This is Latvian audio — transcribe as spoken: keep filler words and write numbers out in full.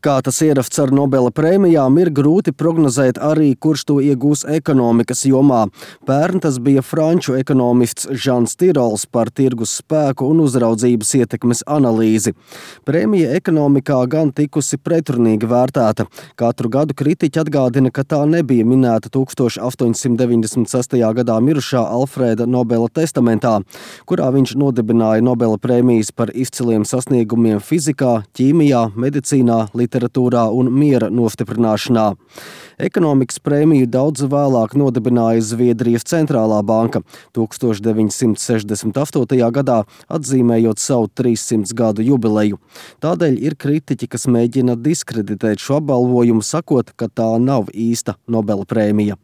Kā tas ieraksts ar Nobela prēmijām, ir grūti prognozēt arī, kurš to iegūs ekonomikas jomā. Pērn tas bija franču ekonomists Žans Tirols par tirgus spēku un uzraudzības ietekmes analīzi. Prēmija ekonomikā gan tikusi pretrunīgi vērtēta. Katru gadu kritiķi atgādina, ka tā nebija minēta tūkstoš astoņsimt deviņdesmit sestajā gadā mirušā Alfrēda Nobela testamentā, kurā viņš nodibināja Nobela prēmijas par izciliem sasniegumiem fizikā, ķīmijā, medicīnā, literatūrā un miera nostiprināšanā. Ekonomikas prēmiju daudz vēlāk nodibināja Zviedrijas centrālā banka tūkstoš deviņsimt sešdesmit astotajā gadā, atzīmējot savu trīssimts gadu jubileju. Tādēļ ir kritiķi, kas mēģina diskreditēt šo apbalvojumu, sakot, ka tā nav īsta Nobela prēmija.